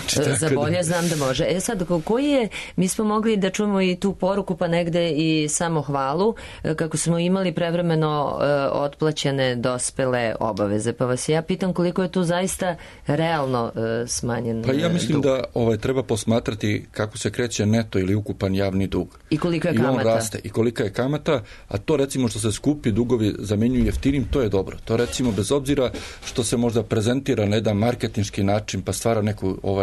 Znači, za bolje da... znam da može. E sad, koji je, mi smo mogli da čujemo i tu poruku, pa negde i samo hvalu, kako smo imali prevremeno uh, otplaćene dospele obaveze. Pa vas ja pitam koliko je tu zaista realno uh, smanjen Pa ja mislim dug. da ovaj, treba posmatrati kako se kreće neto ili ukupan javni dug. I koliko je I kamata. on raste. I kolika je kamata, a to recimo što se skupi dugovi zamjenjuju jeftinim, to je dobro. To recimo bez obzira što se možda prezentira na jedan marketinški način pa stvara neku ovaj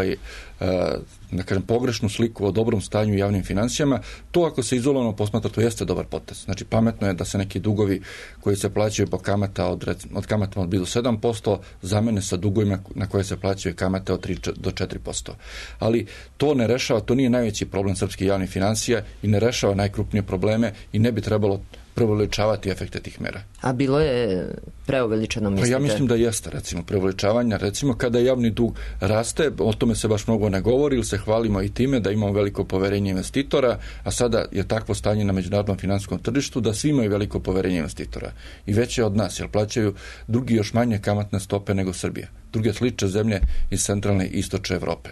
da kažem pogrešnu sliku o dobrom stanju u javnim financijama, to ako se izolovano posmatra, to jeste dobar potez. Znači pametno je da se neki dugovi koji se plaćaju po kamata od, od kamata od do sedam posto zamene sa dugovima na koje se plaćaju kamate od tri do četiri posto. Ali to ne rešava, to nije najveći problem srpskih javnih financija i ne rešava najkrupnije probleme i ne bi trebalo preuveličavati efekte tih mera. A bilo je preuveličano, mislite? Pa ja mislim da jeste, recimo, preuveličavanja. Recimo, kada javni dug raste, o tome se baš mnogo ne govori, ili se hvalimo i time da imamo veliko poverenje investitora, a sada je takvo stanje na međunarodnom finansijskom tržištu da svi imaju veliko poverenje investitora. I veće od nas, jer plaćaju drugi još manje kamatne stope nego Srbija. Druge slične zemlje iz centralne i istočne Evrope.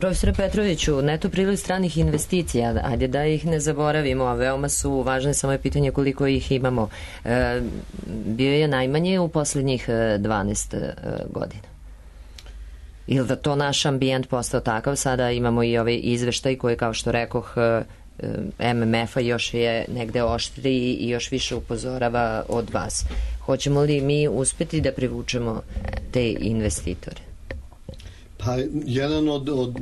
Profesore Petroviću, neto priliv stranih investicija, ajde da ih ne zaboravimo, a veoma su važne, samo je pitanje koliko ih imamo. E, bio je najmanje u posljednjih dvanaest godina. Ili da to naš ambijent postao takav, sada imamo i ovaj izveštaj koji, kao što rekoh, M M F-a još je negde oštriji i još više upozorava od vas. Hoćemo li mi uspeti da privučemo te investitore? Pa jedan od, od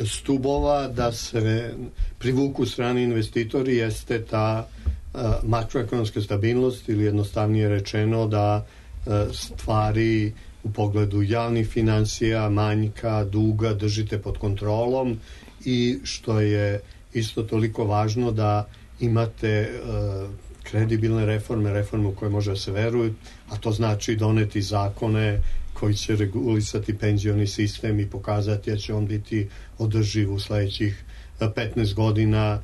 stubova da se privuku strani investitori jeste ta uh, makroekonomska stabilnost ili jednostavnije rečeno da uh, stvari u pogledu javnih financija, manjka, duga držite pod kontrolom i što je isto toliko važno da imate uh, kredibilne reforme, reforme u koje može da se veruje, a to znači doneti zakone koji će regulisati penzioni sistem i pokazati da će on biti održiv u sledećih petnaest godina,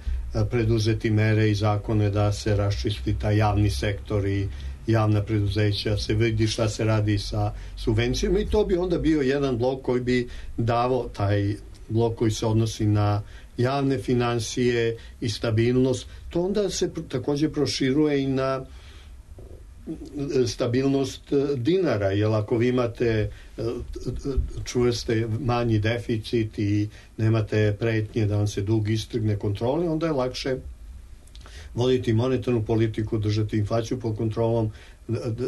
preduzeti mere i zakone da se raščisti taj javni sektor i javna preduzeća, se vidi šta se radi sa subvencijama i to bi onda bio jedan blok koji bi davao taj blok koji se odnosi na javne finansije i stabilnost. To onda se također proširuje i na stabilnost dinara, jer ako vi imate čvrste manji deficit i nemate pretnje da vam se dug istrgne kontrole, onda je lakše voditi monetarnu politiku, držati inflaciju pod kontrolom,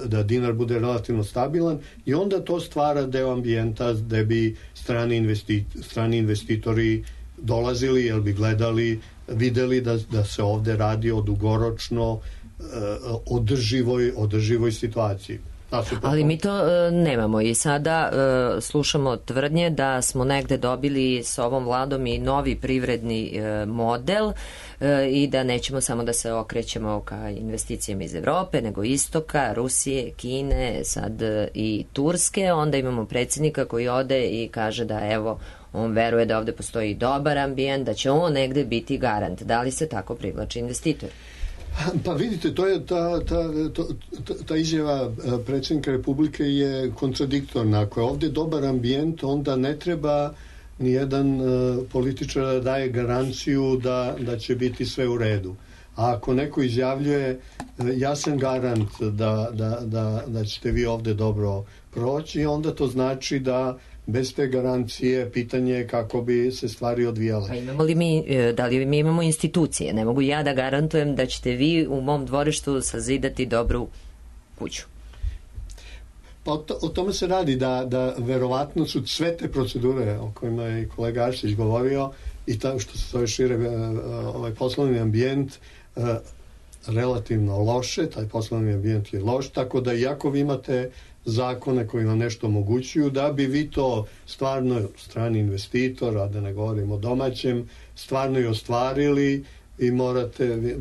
da dinar bude relativno stabilan i onda to stvara deo ambijenta gde bi strani, investi, strani investitori dolazili, jer bi gledali, videli da, da se ovde radi o dugoročno održivoj, održivoj situaciji. Ali mi to e, nemamo i sada e, slušamo tvrdnje da smo negde dobili s ovom vladom i novi privredni e, model e, i da nećemo samo da se okrećemo ka investicijama iz Evrope, nego istoka, Rusije, Kine, sad e, i Turske. Onda imamo predsjednika koji ode i kaže da evo, on veruje da ovde postoji dobar ambijent, da će on negde biti garant. Da li se tako privlači investitor? Pa vidite, to je ta, ta, ta, ta izjava predsjednika Republike je kontradiktorna. Ako je ovdje dobar ambijent, onda ne treba nijedan političar da daje garanciju da, da će biti sve u redu. A ako neko izjavljuje ja sam garant da, da, da, da ćete vi ovdje dobro proći, onda to znači da bez te garancije pitanje je kako bi se stvari odvijale. A imamo li mi, da li mi imamo institucije? Ne mogu ja da garantujem da ćete vi u mom dvorištu sazidati dobru kuću. Pa o, to, o tome se radi da, da verovatno su sve te procedure o kojima je i kolega Arsić govorio i ta, što se zove šire ovaj poslovni ambijent relativno loše, taj poslovni ambijent je loš, tako da iako vi imate zakone koji vam nešto omogućuju, da bi vi to stvarno strani investitor, a da ne govorimo o domaćem, stvarno i ostvarili i morate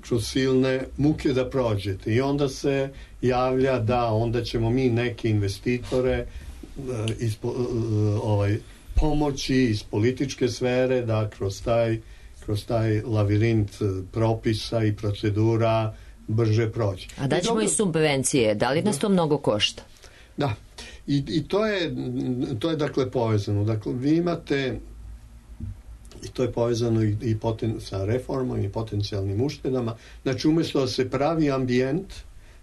kroz silne muke da prođete. I onda se javlja da onda ćemo mi neke investitore ispo, ovaj, pomoći iz političke sfere da kroz taj, kroz taj lavirint propisa i procedura brže proći. A da ćemo i, i subvencije, da li nas to mnogo košta? Da, i, i to je to je dakle povezano. Dakle, vi imate i to je povezano i, i poten, sa reformom i potencijalnim uštedama. Znači, umjesto da se pravi ambijent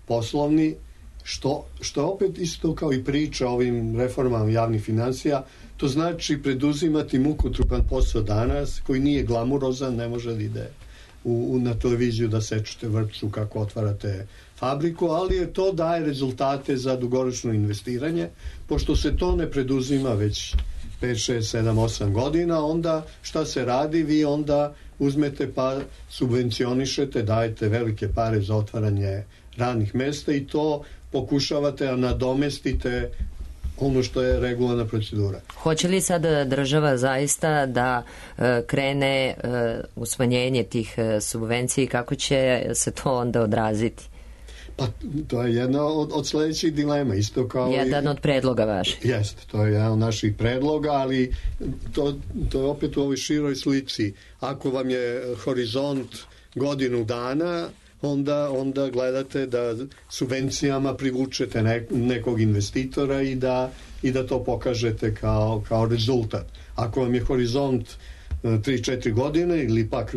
poslovni, što, što opet isto kao i priča o ovim reformama javnih financija, to znači preduzimati mukotrupan posao danas, koji nije glamurozan, ne može da ide U, u, na televiziju da sečete vrpcu kako otvarate fabriku, ali je to daje rezultate za dugoročno investiranje, pošto se to ne preduzima već pet, šest, sedam, osam godina, onda šta se radi? Vi onda uzmete pa subvencionišete, dajete velike pare za otvaranje radnih mesta i to pokušavate da nadomestite ono što je regularna procedura. Hoće li sad država zaista da e, krene e, u smanjenje tih e, subvenciji, kako će se to onda odraziti? Pa to je jedna od, od sljedećih dilema, isto kao jedan i, od predloga vaših. Jeste, to je jedan od naših predloga, ali to, to je opet u ovoj široj slici. Ako vam je horizont godinu dana, onda, onda gledate da subvencijama privučete ne, nekog investitora i da, i da to pokažete kao, kao rezultat. Ako vam je horizont tri četiri godine ili pak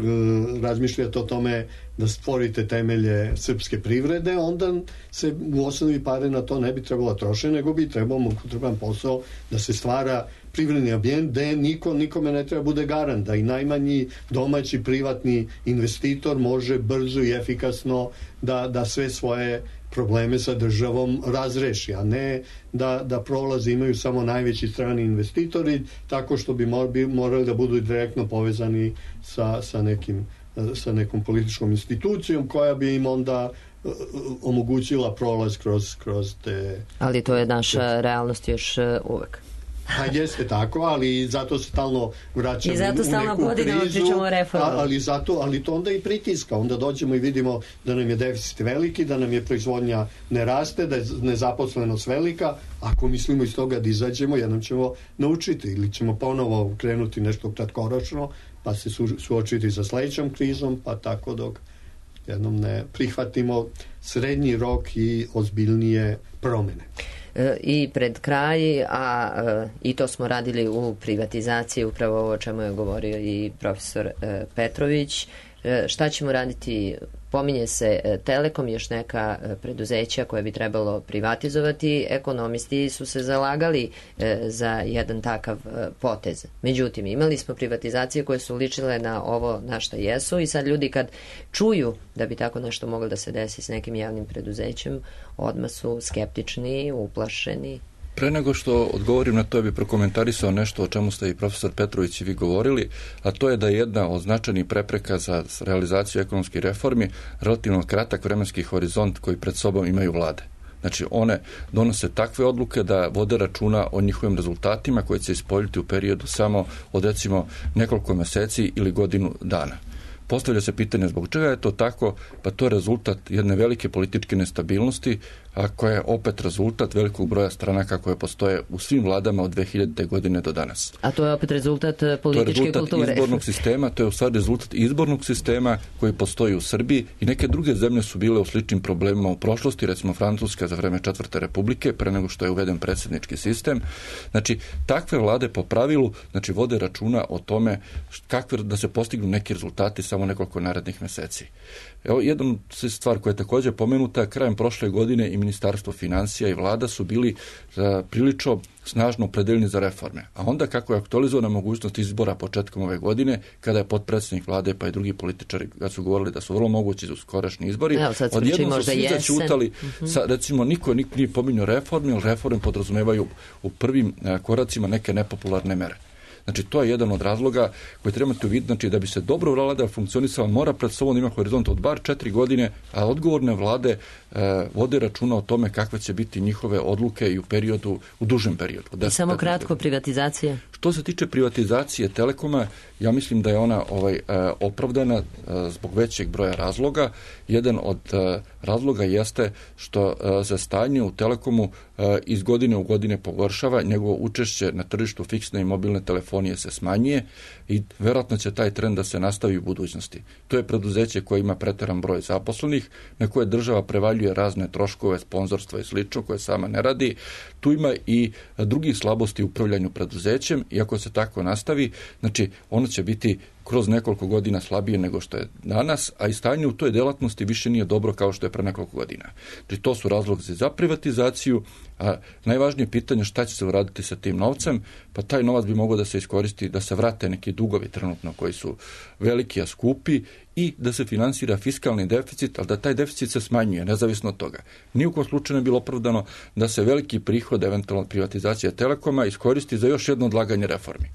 razmišljate o tome da stvorite temelje srpske privrede, onda se u osnovi pare na to ne bi trebalo trošiti, nego bi trebao mukotrupan posao da se stvara privredni ambijent gde niko, nikome ne treba bude garant, da i najmanji domaći privatni investitor može brzo i efikasno da, da sve svoje probleme sa državom razreši, a ne da, da prolaze imaju samo najveći strani investitori, tako što bi morali da budu direktno povezani sa, sa, nekim, sa nekom političkom institucijom koja bi im onda omogućila prolaz kroz, kroz te... Ali to je naša realnost još uvek. Pa jeste tako, ali zato se stalno vraćamo i zato stalno u neku krizu, a, ali, zato, ali to onda i pritiska. Onda dođemo i vidimo da nam je deficit veliki, da nam je proizvodnja ne raste, da je nezaposlenost velika. Ako mislimo iz toga da izađemo, jednom ćemo naučiti ili ćemo ponovo krenuti nešto kratkoročno, pa se su, suočiti sa sledećom krizom, pa tako dok jednom ne prihvatimo srednji rok i ozbiljnije promene. I pred kraj, a i to smo radili u privatizaciji, upravo ovo o čemu je govorio i profesor Petrović. Šta ćemo raditi? Pominje se Telekom, još neka preduzeća koje bi trebalo privatizovati. Ekonomisti su se zalagali za jedan takav potez. Međutim, imali smo privatizacije koje su ličile na ovo na šta jesu i sad ljudi kad čuju da bi tako nešto moglo da se desi s nekim javnim preduzećem, odmah su skeptični, uplašeni. Pre nego što odgovorim na to, ja bih prokomentarisao nešto o čemu ste i profesor Petrović i vi govorili, a to je da je jedna od značajnih prepreka za realizaciju ekonomskih reformi relativno kratak vremenski horizont koji pred sobom imaju vlade. Znači, one donose takve odluke da vode računa o njihovim rezultatima koji će se ispoljiti u periodu samo od recimo nekoliko meseci ili godinu dana. Postavlja se pitanje zbog čega je to tako, pa to je rezultat jedne velike političke nestabilnosti, a koja je opet rezultat velikog broja stranaka koje postoje u svim vladama od dve hiljadite. godine do danas. A to je opet rezultat političke kulture. To je rezultat kulture. izbornog sistema, to je u stvari rezultat izbornog sistema koji postoji u Srbiji i neke druge zemlje su bile u sličnim problemima u prošlosti, recimo Francuska za vreme Četvrte republike, pre nego što je uveden predsjednički sistem. Znači, takve vlade po pravilu, znači, vode računa o tome kakve da se postignu neki rezultati samo nekoliko narednih meseci. Evo, jedna stvar koja je također pomenuta, krajem prošle godine i Ministarstvo financija i vlada su bili uh, prilično snažno opredeljeni za reforme. A onda kako je aktualizovana mogućnost izbora početkom ove godine, kada je potpredsjednik vlade pa i drugi političari kad su govorili da su vrlo mogući za skorašnji izbori, ja, odjednom su svi začutali, uh-huh. sa, recimo niko nije pominjao reforme, jer reforme podrazumevaju u prvim uh, koracima neke nepopularne mere. Znači, to je jedan od razloga koji trebate uvidjeti, znači, da bi se dobro vlada funkcionisala, mora pred sobom ima horizont od bar četiri godine, a odgovorne vlade e, vode računa o tome kakve će biti njihove odluke i u periodu, u dužem periodu. I samo kratko, privatizacija? Što se tiče privatizacije Telekoma, ja mislim da je ona ovaj, e, opravdana e, zbog većeg broja razloga. Jedan od e, razloga jeste što e, za stanje u Telekomu e, iz godine u godine pogoršava, njegovo učešće na tržištu fiksne i mobilne telefonije se smanjuje i vjerojatno će taj trend da se nastavi u budućnosti. To je preduzeće koje ima preteran broj zaposlenih, na koje država prevaljuje razne troškove, sponzorstva i slično, koje sama ne radi. Tu ima i drugih slabosti u upravljanju preduzećem i ako se tako nastavi, znači ono će biti kroz nekoliko godina slabije nego što je danas, a i stanje u toj delatnosti više nije dobro kao što je pre nekoliko godina. Znači, to su razlozi za privatizaciju, a najvažnije pitanje šta će se uraditi sa tim novcem, pa taj novac bi mogao da se iskoristi, da se vrate neki dugovi trenutno koji su veliki, a skupi, i da se finansira fiskalni deficit, ali da taj deficit se smanjuje, nezavisno od toga. Ni u kom slučaju ne bilo opravdano da se veliki prihod, eventualno privatizacija Telekoma, iskoristi za još jedno odlaganje reformi,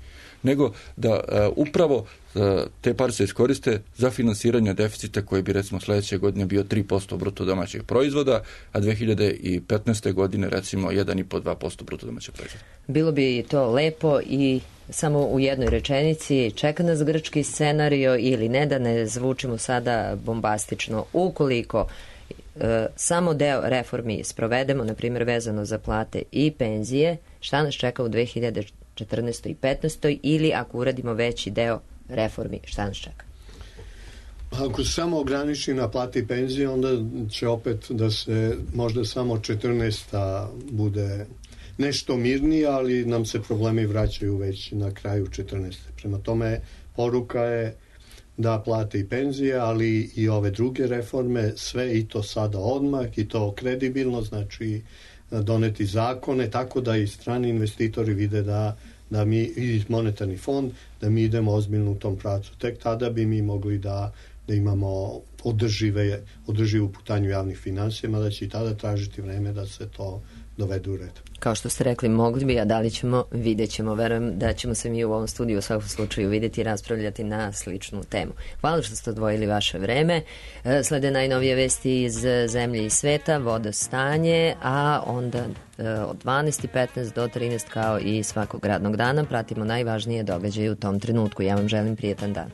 nego da uh, upravo uh, te pare se iskoriste za finansiranje deficita koji bi recimo sljedeće godine bio tri posto bruto domaćeg proizvoda, a dve hiljade petnaeste. godine recimo jedan zarez pet do dva posto bruto domaćeg proizvoda. Bilo bi to lepo i samo u jednoj rečenici, čeka nas grčki scenario ili ne, da ne zvučimo sada bombastično. Ukoliko e, samo deo reformi sprovedemo, na primjer vezano za plate i penzije, šta nas čeka u dve hiljade četrnaestoj i petnaestoj. ili ako uradimo veći deo reformi, šta nas čeka? Ako se samo ograniči na plate i penzije, onda će opet da se možda samo četrnaesta bude nešto mirnije, ali nam se problemi vraćaju već na kraju četrnaeste. Prema tome, poruka je da plate i penzije, ali i ove druge reforme, sve i to sada odmah, i to kredibilno, znači doneti zakone, tako da i strani investitori vide da, da mi, i monetarni fond, da mi idemo ozbiljno u tom pravcu. Tek tada bi mi mogli da, da imamo održive, održivu putanju javnih finansija, mada će i tada tražiti vreme da se to dovede u red. Kao što ste rekli, mogli bi, a da li ćemo, vidjet ćemo. Verujem da ćemo se mi u ovom studiju u svakom slučaju vidjeti i raspravljati na sličnu temu. Hvala što ste odvojili vaše vreme. Slede najnovije vesti iz zemlje i sveta, vodostanje, a onda od dvanaest i petnaest do trinaest kao i svakog radnog dana pratimo najvažnije događaje u tom trenutku. Ja vam želim prijetan dan.